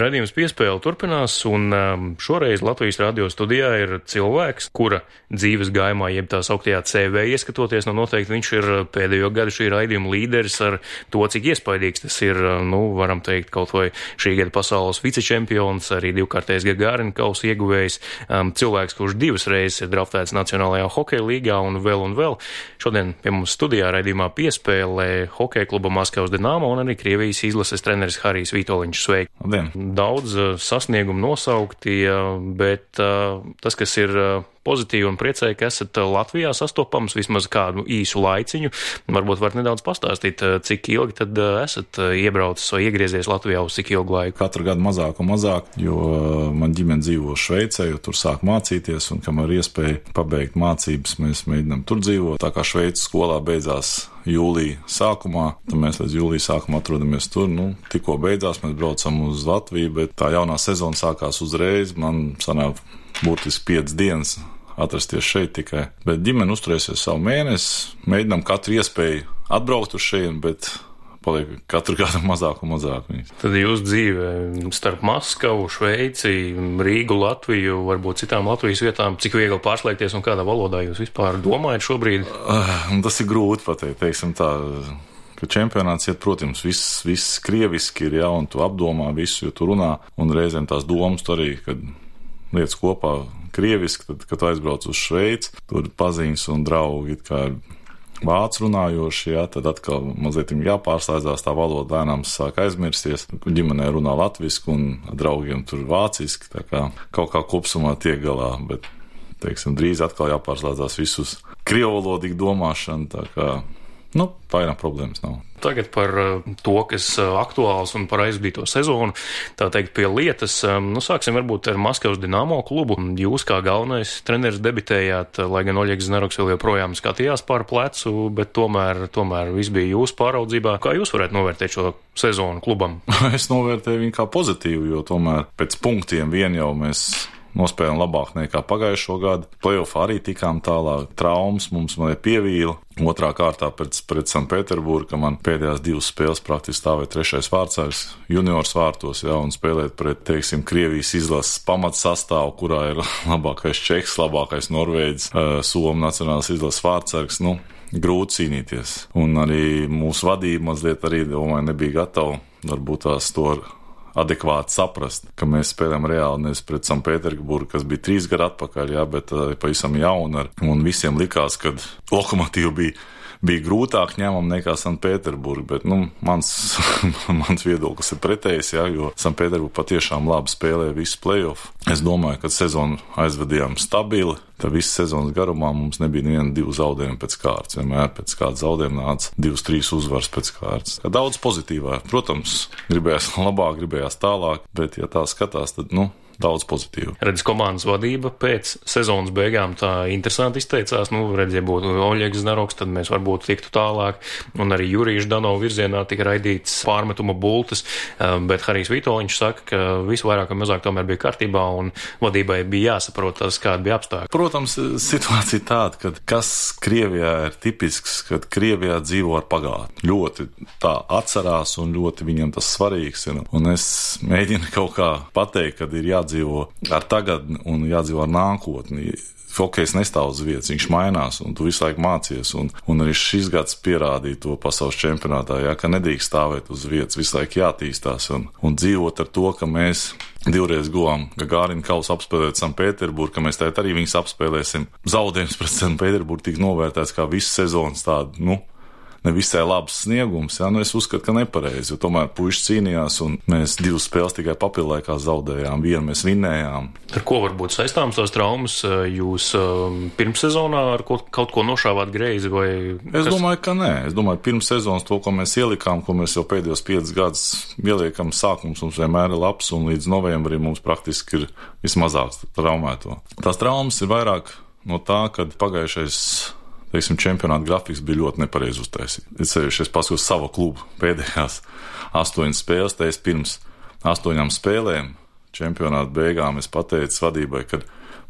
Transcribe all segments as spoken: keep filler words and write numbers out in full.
Raidījums Piespēle turpinās, un um, šoreiz Latvijas radio studijā ir cilvēks, kura dzīves gājumā, jeb tā sauktajā C V ieskatoties, nu noteikti viņš ir pēdējo gadu šī raidījuma līderis ar to, cik iespaidīgs tas ir, nu, varam teikt, kaut vai šī gada pasaules vicečempions, arī divkārtais Gagarin kausa ieguvējs, um, cilvēks, kurš divas reizes ir draftēts Nacionālajā hokeja līgā un vēl un vēl. Šodien pie mums studijā raidījumā Piespēle hokeja kluba Maskavas Dinamo un arī Krievijas izlases treneris Harijs Vitoļņš. Sveiki! Labdien. Daudz sasniegumu nosaukti, bet tas, kas ir pozitīvi un priecēji, ka esat Latvijā sastopams vismaz kādu īsu laiciņu. Varbūt varat nedaudz pastāstīt, cik ilgi tad esat iebraucis vai iegriezies Latvijā uz cik ilgu laiku? Katru gadu mazāk un mazāk, jo man ģimene dzīvo Šveicē, jo tur sāk mācīties, un kamēr iespēja pabeigt mācības, mēs mēģinām tur dzīvot. Tā kā Šveices skolā beidzās jūlija sākumā, tad mēs līdz jūlija sākumā atrodamies tur. Nu, tikko beidzās, mēs braucam uz Latviju, bet tā jaunā sezona sākās uzreiz. Man sanāk būtiski piecas dienas atrasties šeit tikai. Bet ģimene uzturēsies savu mēnesi, mēģinām katru iespēju atbraukt uz šeit, bet paliek katru gadu mazāk un mazāk. Tad jūs dzīve starp Maskavu, Šveici, Rīgu, Latviju, varbūt citām Latvijas vietām, cik viegli pārslēgties un kādā valodā jūs vispār domājat šobrīd? Uh, tas ir grūti pateikt, teiksim tā, ka čempionāts iet, protams, viss, viss krieviski ir, ja, un tu apdomā visu, jo tu runā, un reizēm tās domas tu arī, kad lietas kopā krieviski, tad, kad aizbrauc uz Šveici, tur paziņas un draugi it kā vācu runājoši, jā, tad atkal mazliet jāpārslēdzās, tā valoda lēnām sāk aizmirsties. Ģimenē runā latviski un draugiem tur vāciski, tā kā kaut kā kopsumā tiek galā, bet, teiksim, drīz atkal jāpārslēdzās visus krievvalodīgu domāšanu, tā kā, nu, vairāk problēmas nav. Tagad par to, kas aktuāls un par aizbīto sezonu, tā teikt pie lietas, nu sāksim varbūt ar Maskavas Dinamo klubu. Jūs kā galvenais treneris debitējāt, lai gan Oļegs Znaroks vēl joprojām skatījās pār plecu, bet tomēr, tomēr viss bija jūsu pāraudzībā. Kā jūs varētu novērtēt šo sezonu klubam? Es novērtēju viņu kā pozitīvu, jo tomēr pēc punktiem vien jau mēs nospēlējām labāk nekā pagājušo gadu. Playoffā arī tikām tālāk. Traumas mums man pievīla. Otrā kārtā pēc, pret Sanpēterburgu, ka man pēdējās divas spēles praktiski stāvēja trešais vārdsargs juniors vārtos, jā, un spēlēt pret, teiksim, Krievijas izlases pamats sastāvu, kurā ir labākais Čehs, labākais Norvēģis, Somu nacionālās izlases vārdsargs, nu, grūti cīnīties. Un arī mūsu vadība mazliet arī, domāju, nebija gatava, varbūt tās to adekvāti saprast, ka mēs spēlējam reāli nevis pret Sanpēterburgu, kas bija trīs gadu atpakaļ, jā, bet uh, pavisam jauna, un visiem likās, ka Lokomotīva bija, bija grūtāk ņemam nekā Sanpēterburga, bet, nu, mans, mans viedoklis ir pretējs, jā, jo Sanpēterburga patiešām labi spēlēja visu playoff. Es domāju, ka sezonu aizvadījām stabili, tad visas sezonas garumā mums nebija neviena divu zaudējumu pēc kārtas. Vienmēr pēc kāda zaudējuma nāca divas, trīs uzvaras pēc kārtas. Daudz pozitīvā. Protams, gribējās labāk, gribējās tālāk, bet, ja tā skatās, tad, nu, daudz pozitīvu. Redz, komandas vadība pēc sezonas beigām tā interesanti izteicās. Nu, redz, ja būtu Oļegs Znaroks, tad mēs varbūt tiktu tālāk. Un arī Jurija Ždanova virzienā tika raidīts pārmetuma bultas, bet Harijs Vitoļņš saka, ka visu vairāk un mazāk tomēr bija kārtībā un vadībai bija jāsaprot tas, kāda bija apstākļi. Protams, situācija tāda, ka kas Krievijā ir tipisks, kad Krievijā dzīvo ar pagātni. Ļoti tā atcerās un ļoti viņam tas svarīgs ir. Un es mēģinu kaut kā pateikt, kad ir jādzīvo dzīvo ar tagadni un jādzīvo ar nākotni. Hokejs nestāv uz vietas, viņš mainās, un tu visu laiku mācies, un, un arī šis gads pierādīja to pasaules čempionātā, jā, ka nedrīkst stāvēt uz vietas, visu laiku jātīstās, un, un dzīvot ar to, ka mēs divreiz guvām Gagarin kausu apspēlēt Sanpēterburgu, ka mēs tēt arī viņus apspēlēsim. Zaudējums pret Sanpēterburgu tika novērtēts kā visu sezonas tādu, nu, nevisai labs sniegums, jā, nu es uzskatu, ka nepareizi, jo tomēr puiši cīnījās un mēs divas spēles tikai papildlaikā zaudējām, vienu mēs vinnējām. Ar ko varbūt saistāms tās traumas? Jūs pirmssezonā ar kaut, kaut ko nošāvāt greizi vai? Es kas? domāju, ka nē. Es domāju, pirms sezonas to, ko mēs ielikām, ko mēs jau pēdējos piecus gadus ieliekam, sākums mums vienmēr ir labs un līdz novembrim mums praktiski ir vismazāks traumēto. Tās traumas ir vairāk no tā, kad pagājušais teiksim, čempionāta grafiks bija ļoti nepareizi uztaisīts. Es sevišķi es paskatos savu klubu pēdējās astoņas spēles, tā es pirms astoņām spēlēm čempionāta beigām es pateicu vadībai, ka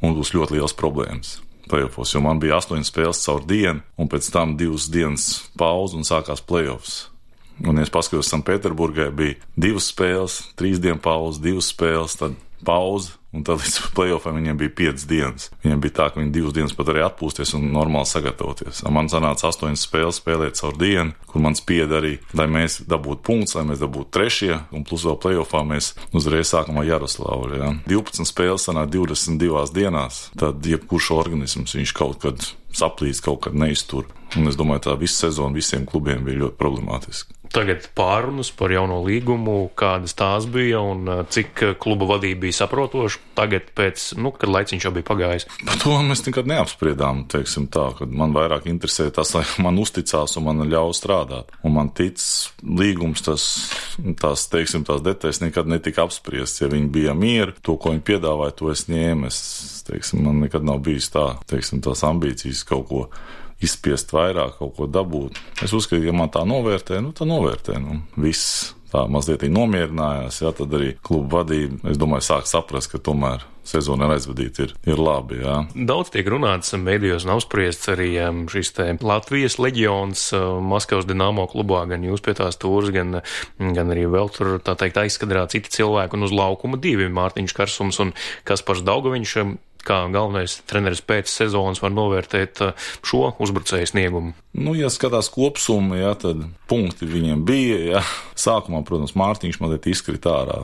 mums būs ļoti liels problēmas playoffs, jo man bija astoņas spēles caur dienu, un pēc tam divas dienas pauze un sākās playoffs. Un, ja es paskatos, Sanktpēterburgai bija divas spēles, trīs dienu pauze, divas spēles, tad pauze, un tad līdz playoffam viņiem bija piecas dienas. Viņiem bija tā, ka viņi divas dienas pat arī atpūsties un normāli sagatavoties. Man sanāca astoņas spēles spēlēt caur dienu, kur man spieda arī, lai mēs dabūtu punktus, lai mēs dabūtu trešie, un plus vēl playoffā mēs uzreiz sākam ar Jaroslavu. Ja. divpadsmit spēles sanāk divdesmit divās dienās, tad jebkurš organisms viņš kaut kad saplīst, kaut kad neiztur. Un es domāju, tā visa sezona visiem klubiem bija ļoti problemātiski. Tagad pārunas par jauno līgumu, kādas tās bija un cik kluba vadība bija saprotoša tagad pēc, nu, kad laiciņš jau bija pagājis. Par to mēs nekad neapspriedām, teiksim tā, kad man vairāk interesē tas, lai man uzticās un man ļauj strādāt. Un man tic līgums, tas, tās, teiksim, tās detaļas nekad netika apspriests. Ja viņi bija mieri, to, ko viņi piedāvāja, to es ņēmu. Es, teiksim, man nekad nav bijis tā, teiksim, tās ambīcijas kaut ko izspiest vairāk, kaut ko dabūt. Es uzskatu, ja man tā novērtē, nu tā novērtē, nu viss tā mazliet nomierinājās, jā, tad arī kluba vadība, es domāju, sāk saprast, ka tomēr sezona ar aizvadīt ir, ir labi, jā. Daudz tiek runāts medijos un apspriests arī šis te Latvijas leģions Maskavas Dinamo klubā, gan jūs pie tās tūras, gan, gan arī vēl tur, tā teikt, aizskadrā citi cilvēki un uz laukuma divi Mārtiņš Karsums un Kaspars Daugaviņš. Kā galvenais treneris pēc sezonas var novērtēt šo uzbrucēju sniegumu? Nu, ja skatās kopsumu, jā, tad punkti viņiem bija, jā. Sākumā, protams, Mārtiņš mazliet izkrita ārā.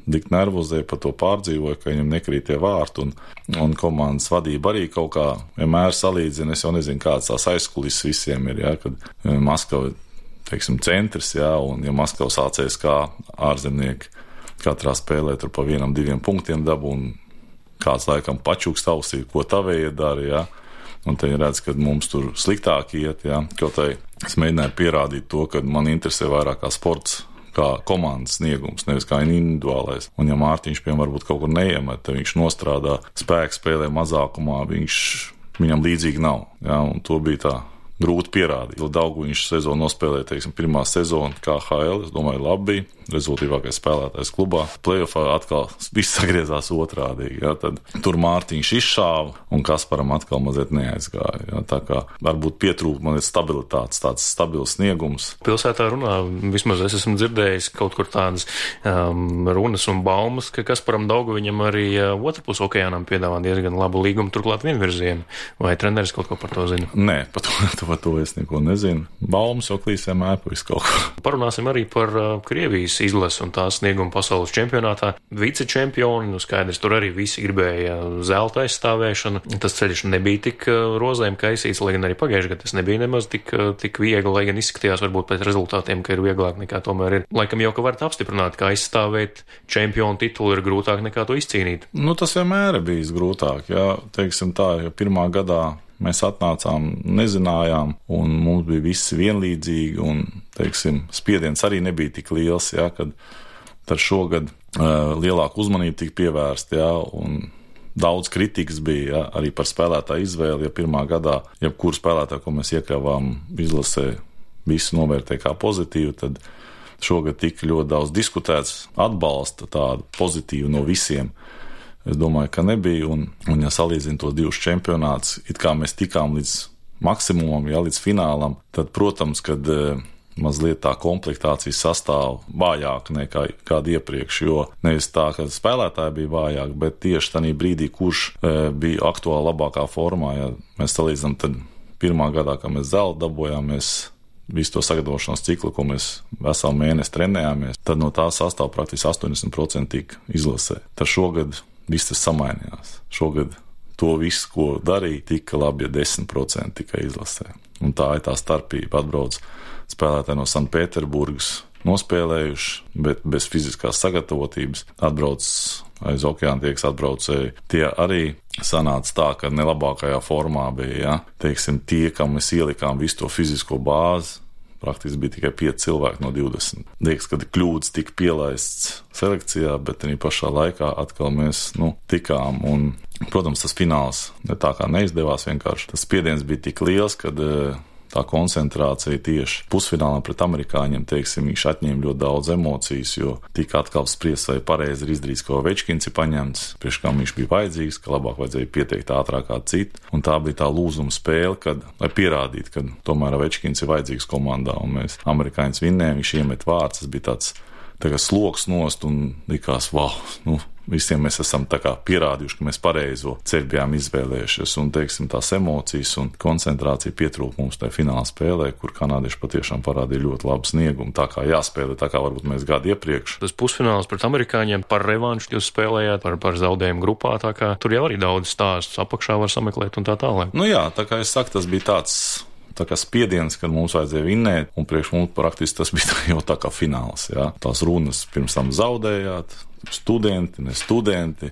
Dik nervozēja par to pārdzīvoja, ka viņam nekrīt tie vārti, un, un komandas vadība arī kaut kā vienmēr salīdzina. Es jau nezinu, kāds tās aizkulis visiem ir, jā, kad Maskava, teiksim, centrs, jā, un ja Maskavas A C S K ārzemnieki katrā spēlē tur pa vienam, diviem punktiem dabu, un kāds laikam pačukst ausī, ko tavējie dara, jā. Un te ir redz, ka mums tur sliktāk iet, jā. Kaut tai es mēģināju pierādīt to, ka man interesē vairāk kā sports, kā komandas sniegums, nevis kā individuālais. Un ja Mārtiņš, piemēram, varbūt kaut kur neiemet, tad viņš nostrādā spēku spēlē mazākumā, viņš, viņam līdzīgi nav, jā. Un to bija tā grūti pierādīt. Daugaviņš sezonu nospēlēja, teiksim, pirmā sezona K H L, es domāju, labi bija, rezultīvākais spēlētājs klubā. Playoffā atkal viss sagriezās otrādīgi, jā, tad tur Mārtiņš izšāva un Kasparam atkal mazliet neaizgāja, jā, tā kā varbūt pietrūka mazliet stabilitātes, tāds stabils sniegums. Pilsētā runā, vismaz es esmu dzirdējis kaut kur tādas um, runas un baumas, ka Kasparam Daugaviņam arī uh, otrpus okeānam piedāvā diezgan labu līgumu, turklāt vienvirzienu. Vai treneris kaut ko par to zina? Nē, par to, par to es neko nezinu. Baumas jau klīs vienmēr pa visu kaut ko. Parunāsim arī par uh, Krievijas izlases un tās snieguma pasaules čempionātā. Vicečempioni, nu skaidrs, tur arī visi gribēja zelta aizstāvēšanu. Tas ceļš nebija tik rozēm kaisīts, lai gan arī pagājušajā gadā tas nebija nemaz tik, tik viegli, lai gan izskatījās varbūt pēc rezultātiem, ka ir vieglāk nekā tomēr ir. Laikam jau, ka varat apstiprināt, ka aizstāvēt čempionu titulu ir grūtāk nekā to izcīnīt. Nu, tas vienmēr ir bijis grūtāk, jā, teiksim tā, jo pirmā gadā mēs atnācām, nezinājām, un mums bija visi vienlīdzīgi, un, teiksim, spiediens arī nebija tik liels, jā, kad tad šogad uh, lielāku uzmanību tika pievērst, jā, un daudz kritikas bija, jā, arī par spēlētāju izvēli, ja pirmā gadā, jebkuru spēlētāju, ko mēs iekļāvām izlasē, visu novērtē kā pozitīvu, tad šogad tika ļoti daudz diskutēts, atbalsta tādu pozitīvu no visiem. Es domāju, ka nebija, un, un ja salīdzinu tos divus čempionātus, it kā mēs tikām līdz maksimumam, ja līdz finālam, tad, protams, kad e, mazliet tā komplektācijas sastāv vājāk nekā kādu iepriekš, jo nevis tā, ka spēlētāji bija vājāk, bet tieši tādā brīdī, kurš e, bija aktuāli labākā formā, ja mēs salīdzinām, tad pirmā gadā, kad mēs zeltu dabojām, mēs visu to sagatavošanās ciklu, ko mēs veselu mēnesi trenējāmies, tad no tā sastāv praktiski astoņdesmit procenti tika izlasē. Tad šogad viss tas samainījās. Šogad to visu, ko darīja, tika labi, ja desmit procenti tikai izlasē. Un tā ir tā starpība. Atbrauc spēlētāji no Sanktpēterburgas nospēlējuši, bet bez fiziskās sagatavotības. Atbrauc aiz okeāna tie, kas atbraucēja. Tie arī sanāca tā, ka nelabākajā formā bija, ja? Teiksim, tie, kam mēs ielikām visu to fizisko bāzi, praktiski bija tikai pieci cilvēki no divdesmit. Liekas, ka kļūdas tika pielaists selekcijā, bet arī pašā laikā atkal mēs, nu, tikām. Un, protams, tas fināls ne tā kā neizdevās vienkārši. Tas spiediens bija tik liels, kad tā koncentrācija tieši pusfinālā pret amerikāņiem, teiksim, viņš atņēma ļoti daudz emocijas, jo tika atkal spriest, vai pareizi ir izdarīts, ko Ovečkins ir paņemts, priekš kam viņš bija vajadzīgs, ka labāk vajadzēja pieteikt ātrāk kā citu, un tā bija tā lūzuma spēle, kad, lai pierādītu, ka tomēr Ovečkins ir vajadzīgs komandā, un mēs amerikāņus vinnējām, viņš iemet vārds, tas bija tāds tagad sloks nost un likās, wow, nu, visiem mēs esam tā kā pierādījuši, ka mēs pareizo ceļu bijām izvēlējušies, un, teiksim, tās emocijas un koncentrācija pietrūka mums tajā fināla spēlē, kur kanādieši patiešām parādīja ļoti labu sniegumu, tā kā jāspēlē, tā kā varbūt mēs gadu iepriekš. Tas pusfināls pret amerikāņiem par revanšu jūs spēlējāt, par, par zaudējumu grupā, tā kā tur jau arī daudz stāstus apakšā var sameklēt un tā tālāk. Nu jā, tā kā es saku, tas bija tāds tā kā spiediens, kad mums vajadzēja vinnēt, un priekš mums praktiski tas bija jau tā kā fināls, jā. Tās runas pirms tam zaudējāt, studenti, ne studenti,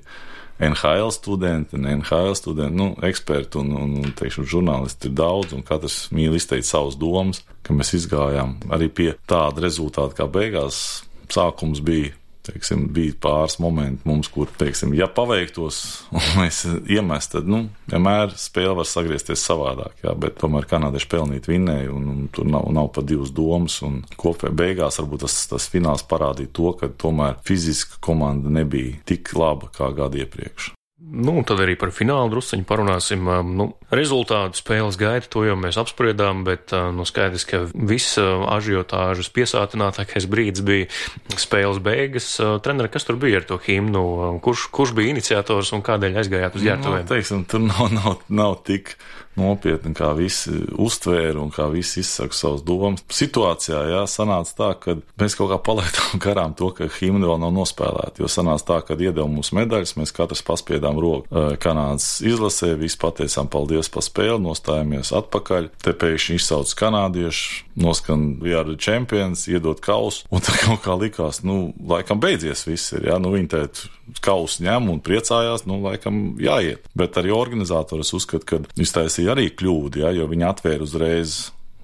N H L studenti, ne N H L studenti, nu, eksperti un, un, un teikšu, žurnālisti ir daudz, un katrs mīl izteikt savas domas, ka mēs izgājām arī pie tāda rezultāta, kā beigās sākums bija. Teiksim, bija pāris momenti mums, kur, teiksim, ja paveiktos un mēs iemest, tad, nu, vienmēr spēle var sagriezties savādāk, jā, bet tomēr kanādieši pelnīt vinnēja un, un tur nav, nav pa divas domas un kopē beigās varbūt tas, tas fināls parādīja to, ka tomēr fiziska komanda nebija tik laba kā gadu iepriekš. Nu, un tad arī par finālu drusciņu parunāsim. Nu, rezultātu spēles gaita, to jau mēs apspriedām, bet nu, skaidrs, ka viss ažiotāžas piesātinātākais brīdis bija spēles beigas. Treneri, kas tur bija ar to himnu? Kurš, kurš bija iniciators un kādēļ aizgājāt uz ģērbtuvēm? Nu, teiksim, tur nav, nav, nav tik nopietni, kā visi uztvēra un kā visi izsaka savas domas. Situācijā, jā, sanāca tā, ka mēs kaut kā palaidām garām to, ka himna vēl nav nospēlēta, jo sanāca tā, ka iedeva mums medaļas, mēs katrs paspiedām roku Kanādas izlasē, visi pateicām paldies par spēli, nostājamies atpakaļ, te pēkšņi izsauc kanādieši, noskan we are the champions, iedot kausu, un tā kaut kā likās, nu, laikam beidzies viss ir, jā, nu, viņi tēt kausu ņem un priecājās, nu, laikam jāiet, bet arī organizātoris uzskata, ka iztaisīja arī kļūdi, ja, jo viņi atvēra uzreiz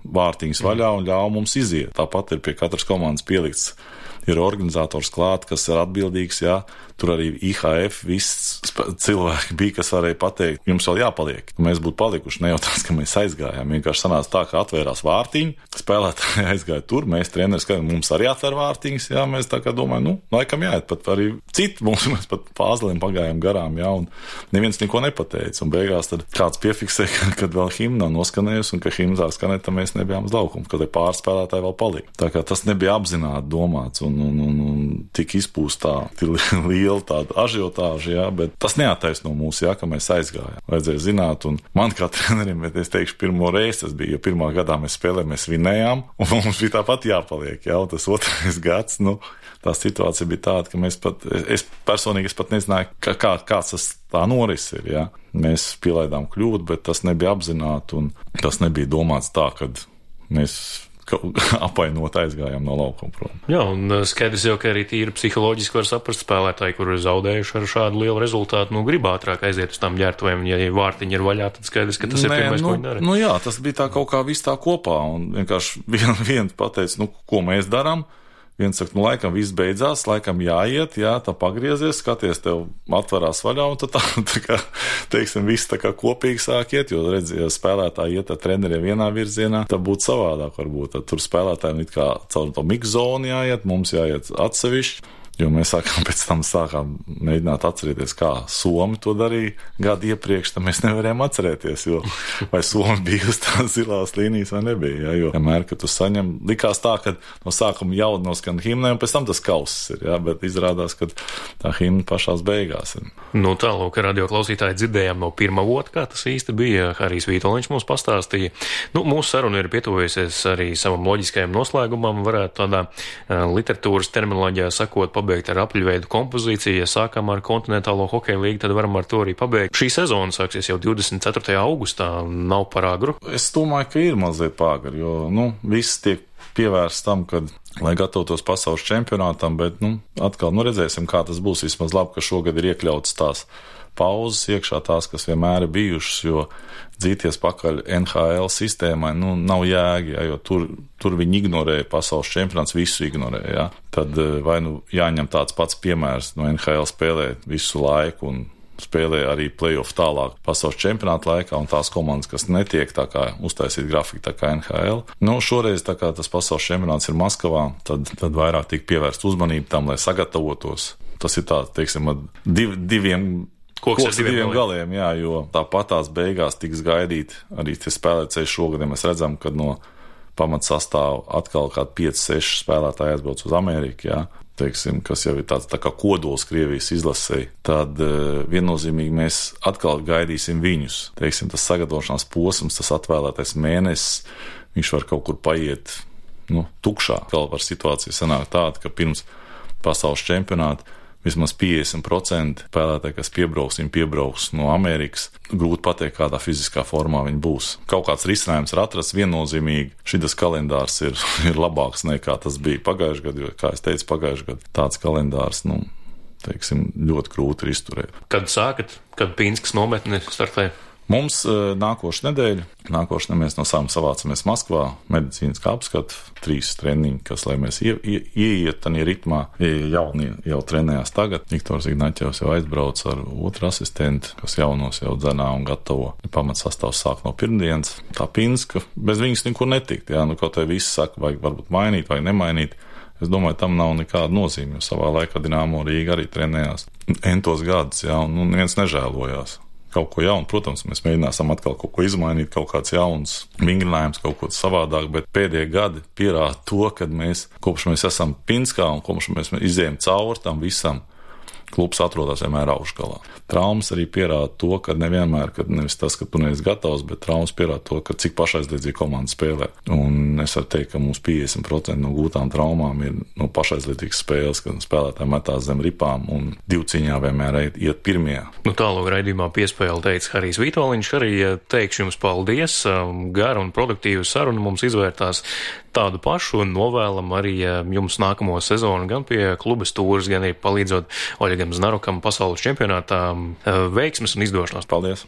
vārtiņas vaļā un ļāva mums iziet. Tāpat ir pie katras komandas pielikts, ir organizators klāt, kas ir atbildīgs, jā, tur arī I H F, viss cilvēki bija, kas varēja pateikt, jums vēl jāpaliek. Mēs būtu palikuši, ne jau tās, ka mēs aizgājām, vienkārši sanāca tā, ka atvērās vārtiņi, spēlētāji aizgāja tur, mēs treneris, ka mums arī atver vārtiņas, jā, mēs tā kā domājam, nu, laikam jāiet, pat arī citi mums, mēs pat pāzliem pagājām garām, jā, un neviens neko nepateica, un beigās tad kāds piefiksē, kad vēl himna noskanējusi, un ka himna sāk skanēt, tad mēs nebijām uz laukumu, kad pāris spēlētāji vēl palika. Tā kā tas nebija apzināti domāts, un, un, un, un tik izpūstā, liela tāda ažiotāža, jā, bet tas neattaisno mūs, jā, ka mēs aizgājām. Vajadzēja zināt, un man kā trenerim, bet es teikšu, pirmo reizi tas bija, jo pirmā gadā mēs spēlējām, mēs vinējām, un mums bija tāpat jāpaliek, jā, un tas otrais gads, nu, tā situācija bija tāda, ka mēs pat, es personīgi es pat nezināju, kā, kā, kāds tas tā noris ir, jā. Mēs pielaidām kļūdu, bet tas nebija apzināti, un tas nebija domāts tā, kad mēs apainot aizgājām no laukuma prom. Jā, un skaidrs jau, ka arī tīri psiholoģiski var saprast spēlētāji, kur ir zaudējuši ar šādu lielu rezultātu, nu grib ātrāk aiziet uz tām ģērbtuvēm, ja vārtiņi ir vaļā, tad skaidrs, ka tas Nē, ir pirmais, nu, ko viņi dara. Nu jā, tas bija tā kaut kā viss tā kopā, un vienkārši vien, viens pateica, nu, ko mēs darām. Viens saka, nu, laikam viss beidzās, laikam jāiet, jā, tā pagriezies, skaties, tev atverās vaļā, un tad tā, tā kā, teiksim, viss tā kā kopīgi sāk iet, jo, redz, ja spēlētāji iet ar treneriem vienā virzienā, tad būtu savādāk varbūt, tad tur spēlētājiem it kā caur to mikzonu jāiet, mums jāiet atsevišķi, jo mēs sākām pēc tam sākām mēģināt atcerēties, kā Somi to darīja gadu iepriekš, tad mēs nevarējām atcerēties, jo vai Somi bija uz tās zilās līnijas vai nebija, jā, jo vienmēr, kad tu saņem, likās tā, ka no sākuma jau noskan himnai un pēc tam tas kauss ir, jā, bet izrādās, ka tā himna pašās beigās ir. Nu tālūk, radio klausītāji dzirdējām no pirmā vota, kā tas īsti bija, Harijs Vītoliņš mums pastāstīja. Nu, mūsu saruna ir pietuvojusies arī savam loģiskajam noslēgumam, varētu tādā uh, literatūras terminoloģijā sakot, pabeigt ar apļveidu kompozīciju. Ja sākam ar kontinentālo hokeja līgu, tad varam ar to arī pabeigt. Šī sezona sāksies jau divdesmit ceturtajā augustā, nav par agru. Es domāju, ka ir mazliet pāragri, jo, nu, viss tiek pievērsts tam, kad, lai gatavotos pasaules čempionātam, bet, nu, atkal, nu, redzēsim, kā tas būs. Vismaz labi, ka šogad ir iekļauts tās pauzes iekšā, tās, kas vienmēr ir bijušas, jo dzīties pakaļ N H L sistēmai, nu, nav jēga, ja, jo tur, tur viņi ignorēja pasaules čempionāts, visu ignorēja, ja. Tad vai nu jāņem tāds pats piemērs no N H L spēlēt visu laiku un spēlē arī play-off tālāk pasaules čempionāta laikā, un tās komandas, kas netiek tā kā uztaisīt grafiku tā kā N H L. Nu, šoreiz tā kā tas pasaules čempionāts ir Maskavā, tad, tad vairāk tika pievērst uzmanību tam, lai sagatavotos. Tas ir tāds, teiksim, div, diviem, koks koks ar diviem, diviem galiem, jā, jo tāpat tās beigās tiks gaidīt arī tie spēlētāji šogad, ja mēs redzam, kad no pamatsastāvu atkal kādi pieci seši spēlētāji aizbrauc uz Ameriku, jā. Teiksim, kas jau ir tāds tā kā kodols Krievijas izlasēji, tad uh, viennozīmīgi mēs atkal gaidīsim viņus. Teiksim, tas sagatavošanās posms, tas atvēlētais mēnesis, viņš var kaut kur paiet, nu, tukšā. Vēl var situācija sanāk tāda, ka pirms pasaules čempionāta vismaz piecdesmit procenti spēlētāji, kas piebrauks, viņi piebrauks no Amerikas. Grūti pateikt, kādā fiziskā formā viņi būs. Kaut kāds risinājums ir atrasts viennozīmīgi. Šitas kalendārs ir, ir labāks nekā tas bija pagājušajā gadā, jo, kā es teicu, pagājušajā gadā tāds kalendārs, nu, teiksim, ļoti grūti ir izturēt. Kad sākat, kad Pīnskas nometne startē? Mums uh, nākošu nedēļu, nākošu nedēļu mēs no sākuma savācamies Maskvā, medicīniskā apskata, trīs treniņi, kas, lai mēs ie, ie, ieiet tādā ritmā, jaunie jau trenējās tagad. Viktors Ignaķevs jau aizbrauc ar otru asistentu, kas jaunos jau dzenā un gatavo. Pamatsastāvs sāk no pirmdienas. Tā Pīnska, bez viņas nekur netikt, jā, nu kaut vai visi saka, vajag varbūt mainīt, vajag nemainīt. Es domāju, tam nav nekāda nozīme, jo savā laikā Dinamo Rīga arī trenējās entos gadus, jā, un nu, neviens nežēlojās. Kaut ko jaunu, protams, mēs mēģināsim atkal kaut ko izmainīt, kaut kāds jauns vingrinājums, kaut ko savādāk, bet pēdējie gadi pierāda to, kad mēs, kopš mēs esam Pinskā un kopš mēs izējām cauri tam visam, klubs atrodas vienmēr augšgalā. Traumas arī pierāda to, ka nevienmēr, kad nevis tas, ka tu neesi gatavs, bet traumas pierāda to, ka cik pašaizliedzīgi komanda spēlē. Un es varu teikt, ka mums piecdesmit procenti no gūtām traumām ir no pašaizliedzīgas spēles, kad spēlētāji metās zem ripām un divciņā vienmēr iet, iet pirmie. Nu tālāk raidījumā piespēle teica Harijs Vitoļņš, arī teikšu jums paldies, gara un produktīva saruna mums izvērtās tādu pašu un novēlam arī jums nākamo sezonu gan pie kluba stūres, gan arī palīdzot Oļegam Znarukam pasaules čempionātā veiksmes un izdošanās. Paldies!